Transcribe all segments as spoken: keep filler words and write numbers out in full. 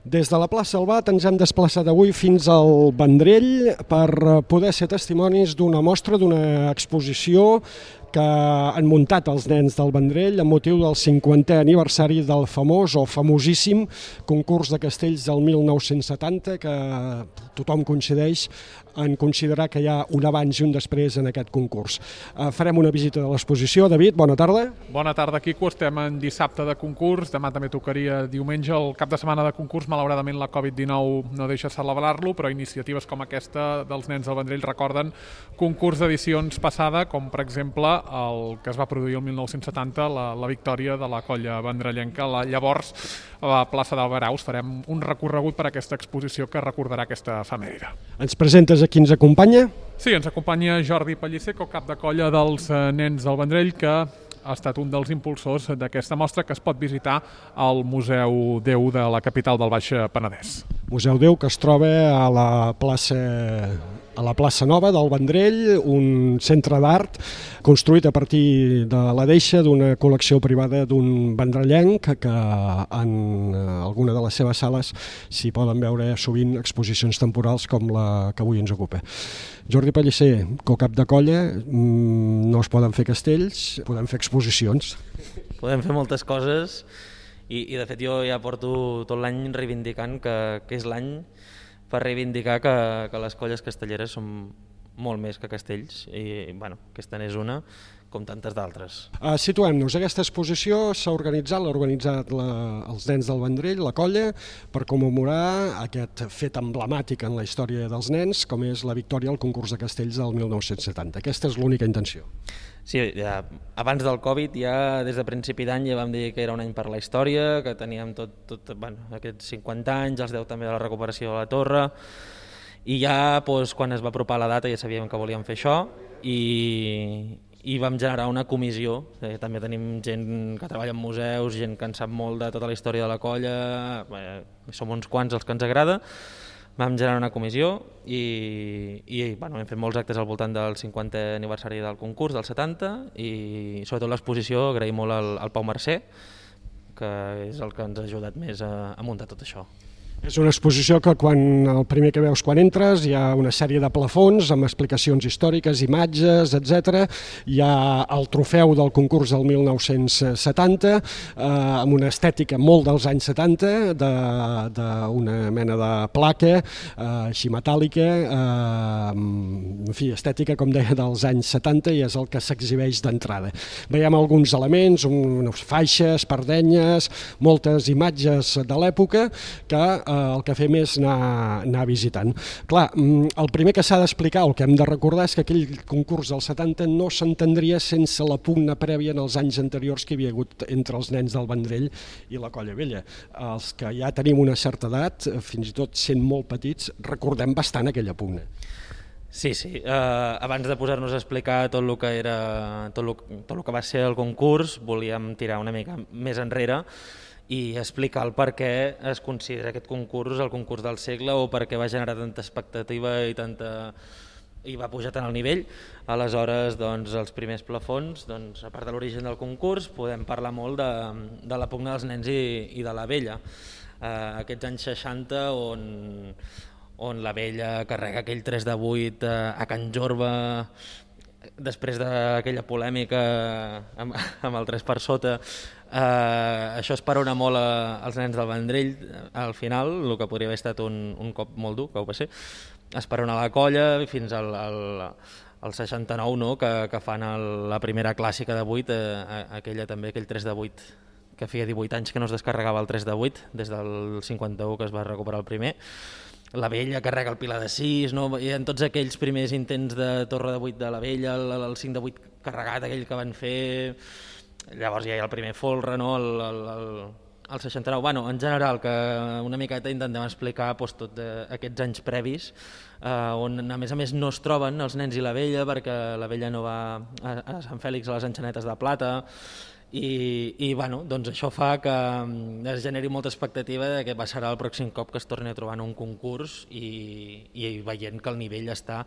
Des de la plaça Albat ens hem desplaçat avui fins al Vendrell per poder ser testimonis d'una mostra, d'una exposició que han muntat els nens del Vendrell amb motiu del cinquantè aniversari del famós o famosíssim concurs de castells del mil nou-cents setanta, que tothom coincideix en considerar que hi ha un abans i un després en aquest concurs. Farem una visita de l'exposició. David, bona tarda. Bona tarda, Quico. Estem en dissabte de concurs, demà també tocaria diumenge. El cap de setmana de concurs, malauradament, la covid dinou no deixa celebrar-lo, però iniciatives com aquesta dels nens del Vendrell recorden concurs d'edicions passada, com per exemple el que es va produir el mil nou-cents setanta, la, la victòria de la colla vendrellenca. La, llavors, a la plaça d'Albaraus farem un recorregut per aquesta exposició que recordarà aquesta efemèride. Ens presentes a qui ens acompanya? Sí, ens acompanya Jordi Pellicer, cap de colla dels nens del Vendrell, que ha estat un dels impulsors d'aquesta mostra que es pot visitar al Museu Déu de la capital del Baix Penedès. Museu Déu, que es troba a la plaça a la plaça Nova del Vendrell, un centre d'art construït a partir de la deixa d'una col·lecció privada d'un vendrellenc que en alguna de les seves sales s'hi poden veure sovint exposicions temporals com la que avui ens ocupa. Jordi Pellicer, co-cap de colla, no es poden fer castells, podem fer exposicions. Podem fer moltes coses i, i de fet jo ja porto tot l'any reivindicant que, que és l'any per reivindicar que, que les colles castelleres són molt més que castells i bueno, aquesta n'és una com tantes d'altres. Uh, Situem-nos, aquesta exposició s'ha organitzat, l'ha organitzat la, els nens del Vendrell, la colla, per commemorar aquest fet emblemàtic en la història dels nens, com és la victòria al concurs de castells del mil nou-cents setanta. Aquesta és l'única intenció. Sí, ja, abans del Covid, ja des de principi d'any ja vam dir que era un any per la història, que teníem tot, tot bueno, aquests cinquanta anys, els deu també de la recuperació de la torre, i ja doncs, quan es va apropar la data ja sabíem que volíem fer això, i, i vam generar una comissió. Eh, també tenim gent que treballa en museus, gent que en sap molt de tota la història de la colla, eh, som uns quants els que ens agrada. Vam generar una comissió i, i bueno, hem fet molts actes al voltant del cinquantè aniversari del concurs, del setanta, i sobretot l'exposició agraïm molt al, al Pau Mercè, que és el que ens ha ajudat més a, a muntar tot això. És una exposició que quan el primer que veus quan entres hi ha una sèrie de plafons amb explicacions històriques, imatges, etcètera. Hi ha el trofeu del concurs del mil nou-cents setanta, eh, amb una estètica molt dels anys setanta, d'una mena de placa eh, així metàl·lica, eh, en fi, estètica, com deia, dels anys setanta, i és el que s'exhibeix d'entrada. Veiem alguns elements, unes faixes, pardenyes, moltes imatges de l'època que el que fem és anar, anar visitant. Clar, el primer que s'ha d'explicar, el que hem de recordar, és que aquell concurs del setanta no s'entendria sense la pugna prèvia en els anys anteriors que hi havia hagut entre els nens del Vendrell i la Colla Vella. Els que ja tenim una certa edat, fins i tot sent molt petits, recordem bastant aquella pugna. Sí, sí. Uh, abans de posar-nos a explicar tot el que era, tot el, tot el que va ser el concurs, volíem tirar una mica més enrere i explicar el per què es considera aquest concurs el concurs del segle o per què va generar tanta expectativa i tanta i va pujar tant al nivell. Aleshores, doncs, els primers plafons, doncs, a part de l'origen del concurs, podem parlar molt de, de la pugna dels nens i, i de la vella. Uh, aquests anys seixanta on, on la vella carrega aquell tres de vuit uh, a Can Jorba, després d'aquella polèmica amb, amb el tres per sota. Uh, això esperona molt a, als nens del Vendrell. Al final, el que podria haver estat un, un cop molt dur, que ho va ser, esperona la colla fins al, al, al seixanta-nou, no? que, que fan el, la primera clàssica de vuit, uh, aquella també, aquell tres de vuit, que feia divuit anys que no es descarregava el tres de vuit, des del cinquanta-u que es va recuperar el primer. La vella carrega el pilar de sis, no? I en tots aquells primers intents de torre de vuit de la vella, el, el cinc de vuit carregat, aquell que van fer. Llavors ja hi ha el primer folre, no? el, el, el, el seixanta-nou. Bueno, en general, que una miqueta intentem explicar doncs, tot aquests anys previs, eh, on a més a més no es troben els nens i la vella, perquè la vella no va a, a Sant Fèlix a les enxanetes de plata, i, i bueno, doncs això fa que es generi molta expectativa de què passarà el pròxim cop que es torni a trobar en un concurs i, i veient que el nivell està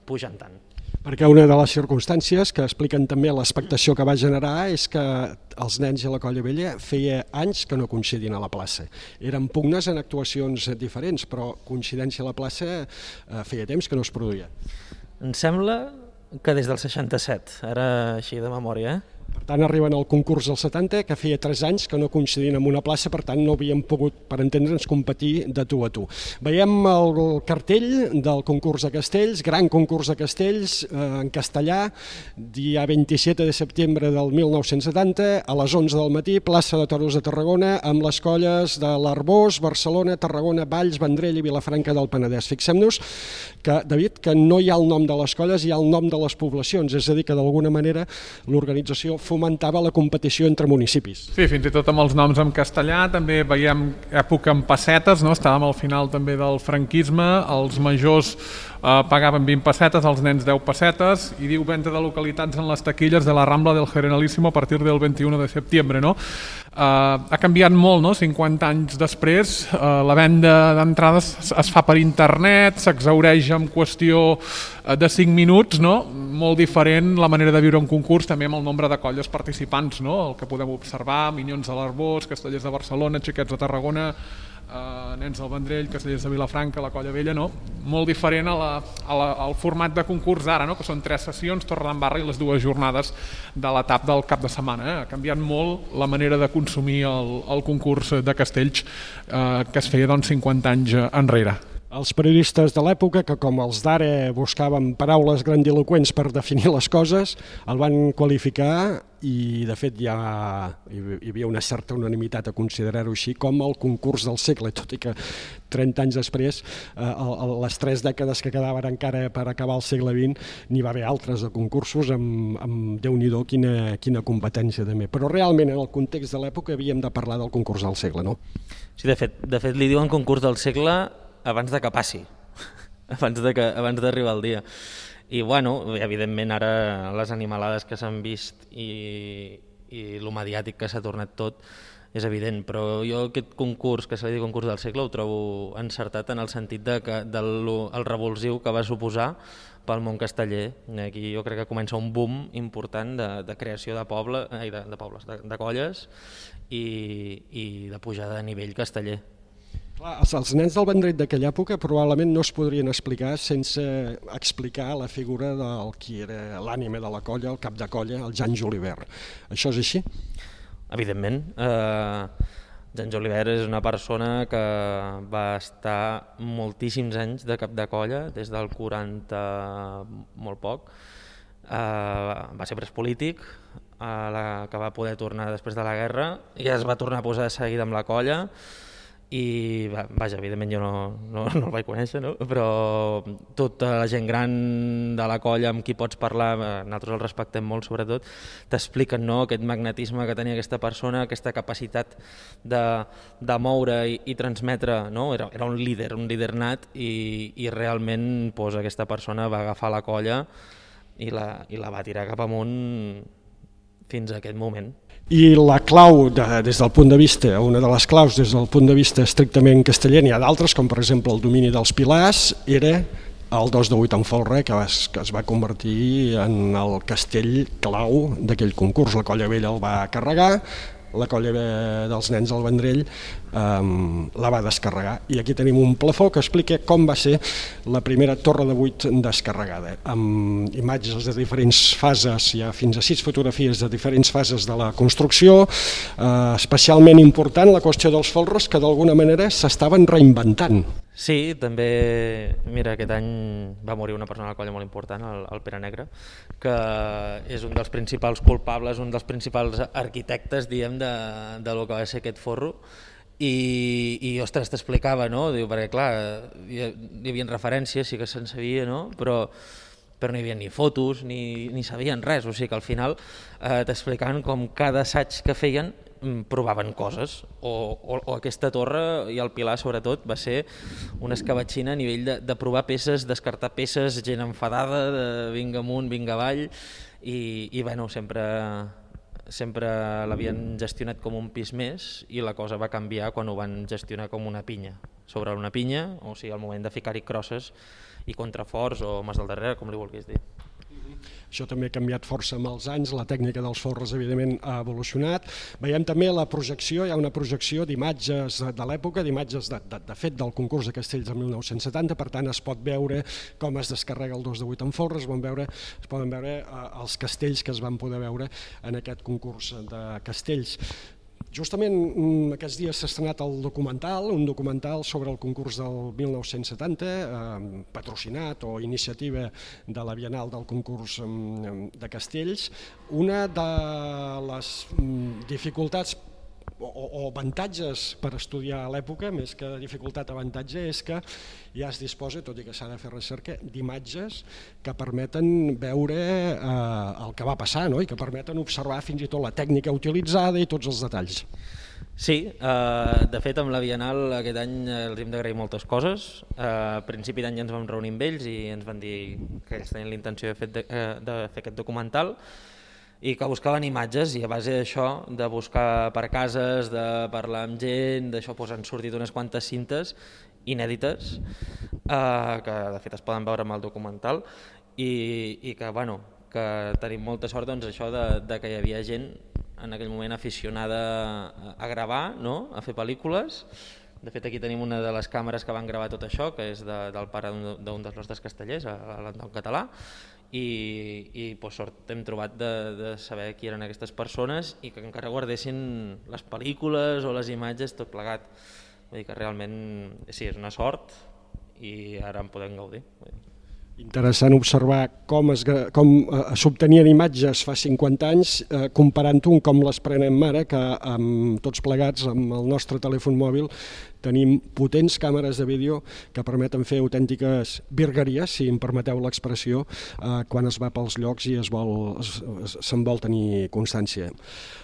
pujant tant. Perquè una de les circumstàncies que expliquen també l'expectació que va generar és que els nens i la Colla Vella feia anys que no coincidien a la plaça. Eren pugnes en actuacions diferents, però coincidència a la plaça eh, feia temps que no es produïa. Em sembla que des del seixanta-set, ara així de memòria, eh? Per tant, arriben al concurs del setanta, que feia tres anys que no coincidien en una plaça, per tant no havíem pogut, per entendre'ns, competir de tu a tu. Veiem el cartell del concurs de castells, gran concurs de castells eh, en castellà, dia vint-i-set de setembre del mil nou-cents setanta, a les onze del matí, plaça de Toros de Tarragona, amb les colles de l'Arboç, Barcelona, Tarragona, Valls, Vendrell i Vilafranca del Penedès. Fixem-nos que, David, que no hi ha el nom de les colles, hi ha el nom de les poblacions, és a dir, que d'alguna manera l'organització fomentava la competició entre municipis. Sí, fins i tot amb els noms en castellà, també veiem època en pessetes, no? Estàvem al final també del franquisme, els majors eh, pagaven vint pessetes, els nens deu pessetes, i diu venda de localitats en les taquilles de la Rambla del Generalísimo a partir del vint-i-u de setembre, no? Uh, ha canviat molt, no? cinquanta anys després, uh, la venda d'entrades es fa per internet, s'exhaureix en qüestió de cinc minuts, no? Molt diferent la manera de viure un concurs, també amb el nombre de colles participants, no? El que podem observar, Minyons de l'Arboç, Castellers de Barcelona, Xiquets de Tarragona, Uh, Nens del Vendrell, Castellers de Vilafranca, la Colla Vella, no? Molt diferent a la, a la, al format de concurs d'ara, no? Que són tres sessions, Torredembarra i les dues jornades de l'etap del cap de setmana. Eh? Ha canviat molt la manera de consumir el, el concurs de castells uh, que es feia doncs, cinquanta anys enrere. Els periodistes de l'època, que com els d'ara buscaven paraules grandiloquents per definir les coses, el van qualificar i de fet ja hi havia una certa unanimitat a considerar-ho així com el concurs del segle, tot i que trenta anys després, eh, les tres dècades que quedaven encara per acabar el segle vint, n'hi va haver altres de concursos amb, amb Déu-n'hi-do quina, quina competència també. Però realment en el context de l'època havíem de parlar del concurs del segle, no? Sí, de fet, de fet li diuen concurs del segle abans de que passi, abans de que, abans d'arribar el dia. I bueno, evidentment ara les animalades que s'han vist i, i el mediàtic que s'ha tornat tot és evident, però jo aquest concurs, que se li diu concurs del segle, ho trobo encertat en el sentit de que, del el revulsiu que va suposar pel món casteller. Aquí jo crec que comença un boom important de, de creació de, poble, ai, de, de pobles, de, de colles i, i de pujada de nivell casteller. Clar, els nens del Vendrell d'aquella època probablement no es podrien explicar sense explicar la figura del qui era l'ànima de la colla, el cap de colla, el Jan Julivert. Això és així? Evidentment. Eh, Jan Julivert és una persona que va estar moltíssims anys de cap de colla, des del quaranta molt poc. Eh, va ser pres polític, eh, la, que va poder tornar després de la guerra, i es va tornar a posar de seguida amb la colla. I vaja, evidentment jo no, no, no el vaig conèixer, no? Però tota la gent gran de la colla amb qui pots parlar, nosaltres el respectem molt sobretot, t'expliquen, no?, aquest magnetisme que tenia aquesta persona, aquesta capacitat de, de moure i, i transmetre, no? Era, era un líder, un líder nat i, i realment pues, aquesta persona va agafar la colla i la, i la va tirar cap amunt fins a aquest moment. I la clau, de, des del punt de vista, una de les claus des del punt de vista estrictament casteller, n'hi ha d'altres, com per exemple el domini dels Pilars, era el dos de vuit en folre, que es, que es va convertir en el castell clau d'aquell concurs. La Colla Vella el va carregar, la colla dels Nens del Vendrell um, la va descarregar. I aquí tenim un plafó que explica com va ser la primera torre de vuit descarregada, amb imatges de diferents fases, hi ha fins a sis fotografies de diferents fases de la construcció, uh, especialment important la qüestió dels folres, que d'alguna manera s'estaven reinventant. Sí, també, mira, aquest any va morir una persona a la colla molt important, el, el Pere Negre, que és un dels principals culpables, un dels principals arquitectes, diem, de, de lo que va ser aquest forro. I, i ostres, t'explicava, no? Diu, perquè clar, hi, hi havia referències, sí que se'n sabia, no? Però, però no hi havia ni fotos, ni, ni sabien res, o sigui que al final eh, t'explicaven com cada assaig que feien provaven coses, o, o, o aquesta torre i el Pilar sobretot va ser una escabatxina a nivell de, de provar peces, descartar peces, gent enfadada, de vinga amunt, vinga avall, i, i bueno, sempre sempre l'havien gestionat com un pis més i la cosa va canviar quan ho van gestionar com una pinya, sobre una pinya, o sigui, al moment de ficar-hi crosses i contraforts o mas del darrere, com li vulguis dir. Això també ha canviat força amb els anys, la tècnica dels forres evidentment ha evolucionat. Veiem també la projecció, hi ha una projecció d'imatges de l'època, d'imatges de, de, de fet del concurs de castells del mil nou-cents setanta, per tant es pot veure com es descarrega el dos de vuit en forres, es poden veure, es poden veure eh, els castells que es van poder veure en aquest concurs de castells. Justament aquests dies s'ha estrenat el documental, un documental sobre el concurs del mil nou-cents setanta, eh, patrocinat o iniciativa de la Bienal del concurs de castells. Una de les dificultats o, o avantatges per estudiar a l'època, més que dificultat avantatge, és que ja es disposa, tot i que s'ha de fer recerca, d'imatges que permeten veure eh, el que va passar, no? I que permeten observar fins i tot la tècnica utilitzada i tots els detalls. Sí, eh, de fet amb la Bienal aquest any els hem d'agrair moltes coses. Eh, a principi d'any ens vam reunir amb ells i ens van dir que ells tenien la intenció de fer, de, de fer aquest documental i que buscaven imatges, i a base d'això, de buscar per cases, de parlar amb gent, d'això doncs, han sortit unes quantes cintes inèdites eh, que de fet es poden veure amb el documental i, i que, bueno, que tenim molta sort doncs, això de, de que hi havia gent en aquell moment aficionada a gravar, no? A fer pel·lícules. De fet, aquí tenim una de les càmeres que van gravar tot això, que és de, del pare d'un dels nostres castellers, l'Anton Català, i, i pues, sort hem trobat de, de saber qui eren aquestes persones i que encara guardessin les pel·lícules o les imatges, tot plegat. Vull dir que realment sí, és una sort i ara en podem gaudir. Interessant observar com es, com s'obtenien imatges fa cinquanta anys, eh, comparant-ho amb com les prenem ara, que amb tots plegats, amb el nostre telèfon mòbil, tenim potents càmeres de vídeo que permeten fer autèntiques virgueries, si em permeteu l'expressió, eh, quan es va pels llocs i es vol, se'n vol tenir constància.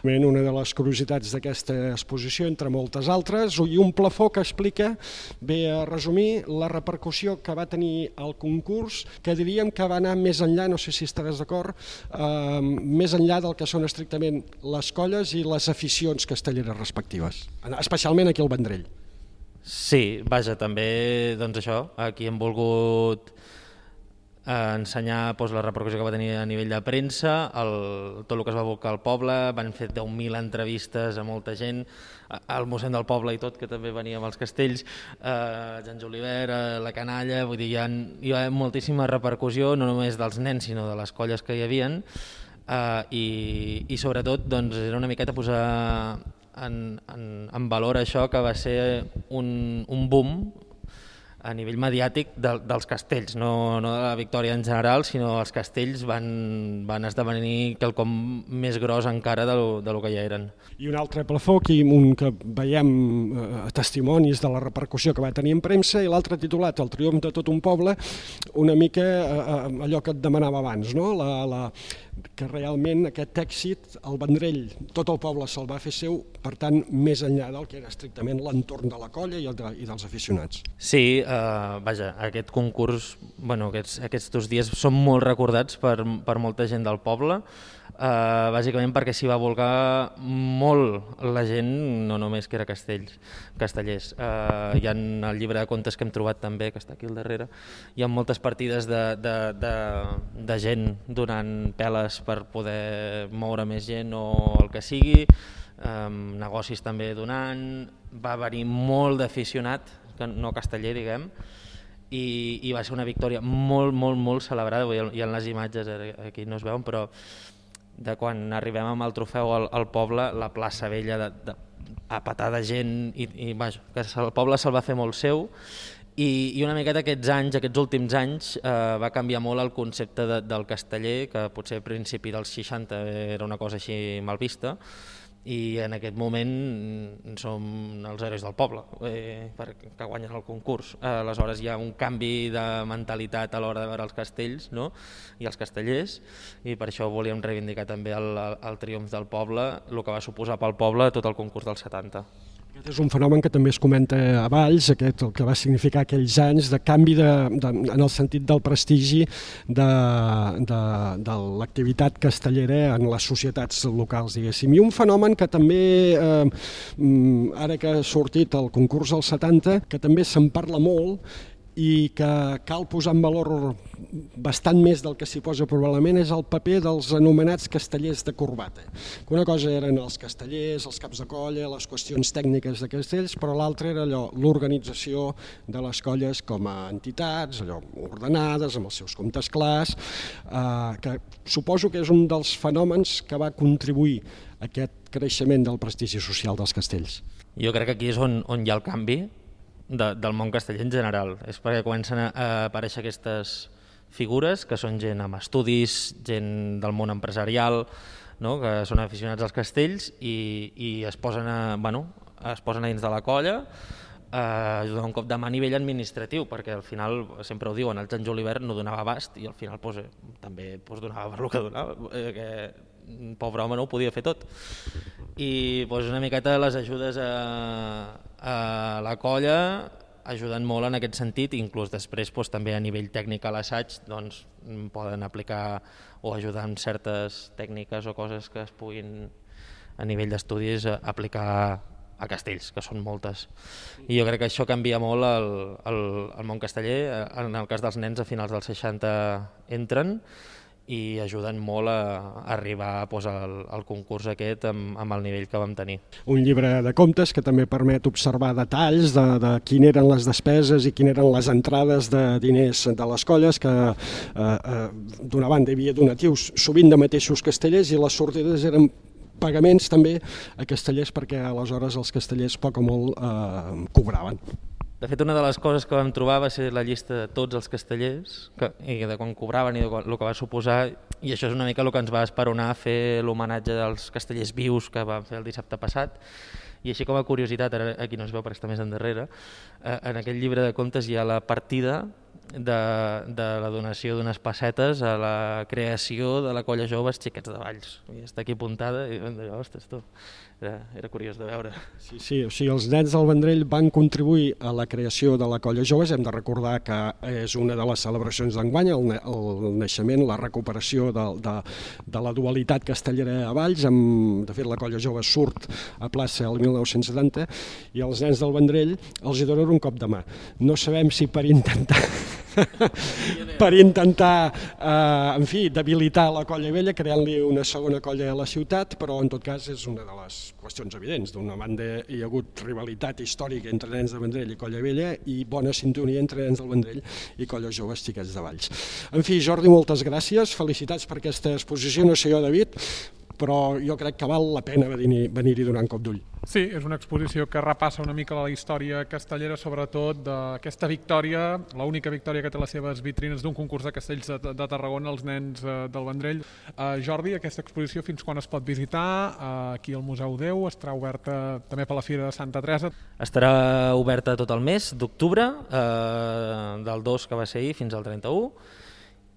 Una de les curiositats d'aquesta exposició, entre moltes altres, i un plafó que explica, ve a resumir la repercussió que va tenir el concurs, que diríem que va anar més enllà, no sé si estaràs d'acord, eh, més enllà del que són estrictament les colles i les aficions castelleres respectives, especialment aquí al Vendrell. Sí, vaja, també doncs això, aquí hem volgut eh, ensenyar doncs, la repercussió que va tenir a nivell de premsa, el, tot el que es va volcar al poble, van fer deu mil entrevistes a molta gent, al mossèn del poble i tot, que també venia amb els castells, eh, Jan Julivert, eh, la canalla, vull dir, hi ha, hi ha moltíssima repercussió, no només dels nens, sinó de les colles que hi havien, eh, i, i sobretot doncs, era una miqueta posar En, en, en valor això que va ser un, un boom a nivell mediàtic de, dels castells, no, no de la Victòria en general, sinó els castells van, van esdevenir quelcom més gros encara de lo, de lo que ja eren. I un altre plafó, aquí un que veiem eh, testimonis de la repercussió que va tenir en premsa, i l'altre titulat El triomf de tot un poble, una mica eh, allò que et demanava abans, no? la, la, que realment aquest èxit, el Vendrell, tot el poble se'l va fer seu, per tant, més enllà del que era estrictament l'entorn de la colla i, el de, i dels aficionats. Sí, Uh, vaja, aquest concurs, bueno, aquests, aquests dos dies són molt recordats per, per molta gent del poble, uh, bàsicament perquè s'hi va volcar molt la gent, no només que era castells, castellers. Uh, hi ha el llibre de contes que hem trobat també, que està aquí al darrere, hi ha moltes partides de, de, de, de gent donant peles per poder moure més gent o el que sigui, um, negocis també donant, va venir molt d'aficionat, no casteller, diguem, i, i va ser una victòria molt, molt, molt celebrada. Hi ha les imatges, aquí no es veuen, però de quan arribem amb el trofeu al, al poble, la plaça Vella de, de, a petar de gent, i, i vaja, que el poble se'l va fer molt seu, i, i una miqueta aquests anys, aquests últims anys, eh, va canviar molt el concepte de, del casteller, que potser a principi dels seixanta era una cosa així mal vista, i en aquest moment som els herois del poble, eh, que guanyen el concurs. Aleshores hi ha un canvi de mentalitat a l'hora de veure els castells, no? I els castellers, i per això volíem reivindicar també el, el triomf del poble, el que va suposar pel poble tot el concurs dels setanta. Aquest és un fenomen que també es comenta a Valls, aquest, el que va significar aquells anys de canvi de, de, en el sentit del prestigi de, de, de l'activitat castellera en les societats locals, diguéssim. I un fenomen que també, eh, ara que ha sortit el concurs del setanta, que també se'n parla molt, i que cal posar en valor bastant més del que s'hi posa probablement, és el paper dels anomenats castellers de corbata. Una cosa eren els castellers, els caps de colla, les qüestions tècniques de castells, però l'altra era allò, l'organització de les colles com a entitats, allò, ordenades, amb els seus comptes clars, eh, que suposo que és un dels fenòmens que va contribuir a aquest creixement del prestigi social dels castells. Jo crec que aquí és on, on hi ha el canvi, De, del món casteller en general. És perquè comencen a, a aparèixer aquestes figures que són gent amb estudis, gent del món empresarial, no? Que són aficionats als castells i, i es posen a, bueno, es posen a dins de la colla a donar un cop de mà a nivell administratiu, perquè al final, sempre ho diuen, el Sant Julivert no donava abast i al final pues, també pues, donava per el que donava, eh, que pobre home no ho podia fer tot. I pues, una miqueta les ajudes a, a la colla ajuden molt en aquest sentit, inclús després pues, també a nivell tècnic a l'assaig doncs, poden aplicar o ajudar amb certes tècniques o coses que es puguin a nivell d'estudis aplicar a castells, que són moltes. I jo crec que això canvia molt el, el, el món casteller. En el cas dels nens a finals dels seixanta entren i ajuden molt a arribar pues, al, al concurs aquest amb, amb el nivell que vam tenir. Un llibre de comptes que també permet observar detalls de, de quin eren les despeses i quines eren les entrades de diners de les colles, que eh, eh, d'una banda hi havia donatius sovint de mateixos castellers i les sortides eren pagaments també a castellers, perquè aleshores els castellers poc o molt eh, cobraven. De fet, una de les coses que vam trobar va ser la llista de tots els castellers que, i de quan cobraven i de el que va suposar, i això és una mica el que ens va esperonar a fer l'homenatge dels castellers vius que vam fer el dissabte passat. I així com a curiositat, ara aquí no es veu perquè està més endarrere, eh, en aquest llibre de comptes hi ha la partida de, de la donació d'unes pessetes a la creació de la colla joves Xiquets de Valls. I està aquí apuntada i vam dir, ostres, tu, era, era curiós de veure. Sí, sí, o sigui, els nens del Vendrell van contribuir a la creació de la colla joves. Hem de recordar que és una de les celebracions d'enguany, el, el naixement, la recuperació de, de, de la dualitat castellera a Valls. Amb, de fet, la colla jove surt a plaça el mil nou-cents setanta i els nens del Vendrell els hi donen un cop de mà. No sabem si per intentar per intentar, eh, en fi, debilitar la colla vella, creant-li una segona colla a la ciutat, però en tot cas és una de les qüestions evidents. D'una banda hi ha hagut rivalitat històrica entre nens de Vendrell i colla vella i bona sintonia entre nens del Vendrell i colla joves Xiquets de Valls. En fi, Jordi, moltes gràcies, felicitats per aquesta exposició, no sé jo, David, però jo crec que val la pena venir-hi venir donar un cop d'ull. Sí, és una exposició que repassa una mica la història castellera, sobretot d'aquesta victòria, l'única victòria que té les seves vitrines d'un concurs de castells de, de Tarragona, els nens eh, del Vendrell. Eh, Jordi, aquesta exposició fins quan es pot visitar? Eh, aquí al Museu Déu, estarà oberta també per la Fira de Santa Teresa. Estarà oberta tot el mes d'octubre, eh, del dos que va ser ahir fins al trenta-u.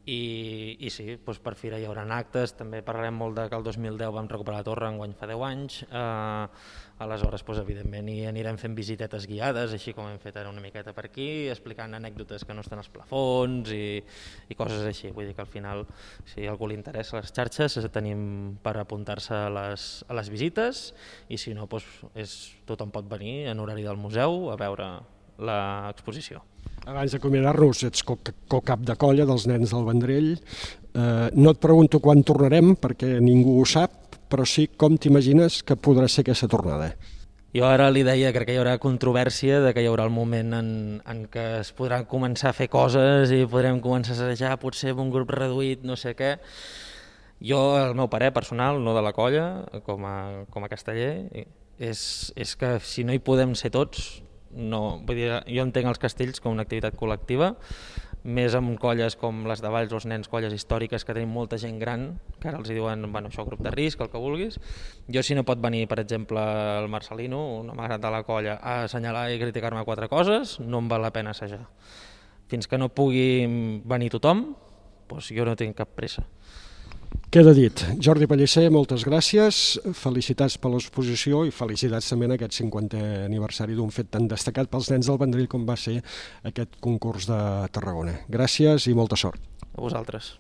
I, i sí, doncs per Fira hi haurà actes, també parlarem molt de que el dos mil deu vam recuperar la torre, enguany fa deu anys, eh, aleshores doncs, evidentment hi anirem fent visitetes guiades, així com hem fet ara una miqueta per aquí, explicant anècdotes que no estan als plafons i, i coses així, vull dir que al final si a algú li interessa les xarxes tenim per apuntar-se a les, a les visites i si no doncs, és, tothom pot venir en horari del museu a veure l'exposició. Abans d'acomiadar-nos, ets co-cap de colla dels nens del Vendrell. Eh, no et pregunto quan tornarem, perquè ningú ho sap, però sí com t'imagines que podrà ser aquesta tornada. Jo ara li deia, crec que hi haurà controvèrsia, de que hi haurà el moment en, en què es podrà començar a fer coses i podrem començar a assajar, potser amb un grup reduït, no sé què. Jo, el meu parer personal, no de la colla, com a, com a casteller, és, és que si no hi podem ser tots, no, vull dir, jo entenc els castells com una activitat col·lectiva, més amb colles com les de Valls, els nens, colles històriques que tenim molta gent gran, que ara els diuen, bueno, això, grup de risc, el que vulguis. Jo si no pot venir, per exemple, el Marcelino, un home gran de la colla, a assenyalar i criticar-me quatre coses, no em val la pena assajar. Fins que no pugui venir tothom, doncs jo no tinc cap pressa. Queda dit. Jordi Pellicer, moltes gràcies, felicitats per l'exposició i felicitats també en aquest cinquantè aniversari d'un fet tan destacat pels nens del Vendrell com va ser aquest concurs de Tarragona. Gràcies i molta sort. A vosaltres.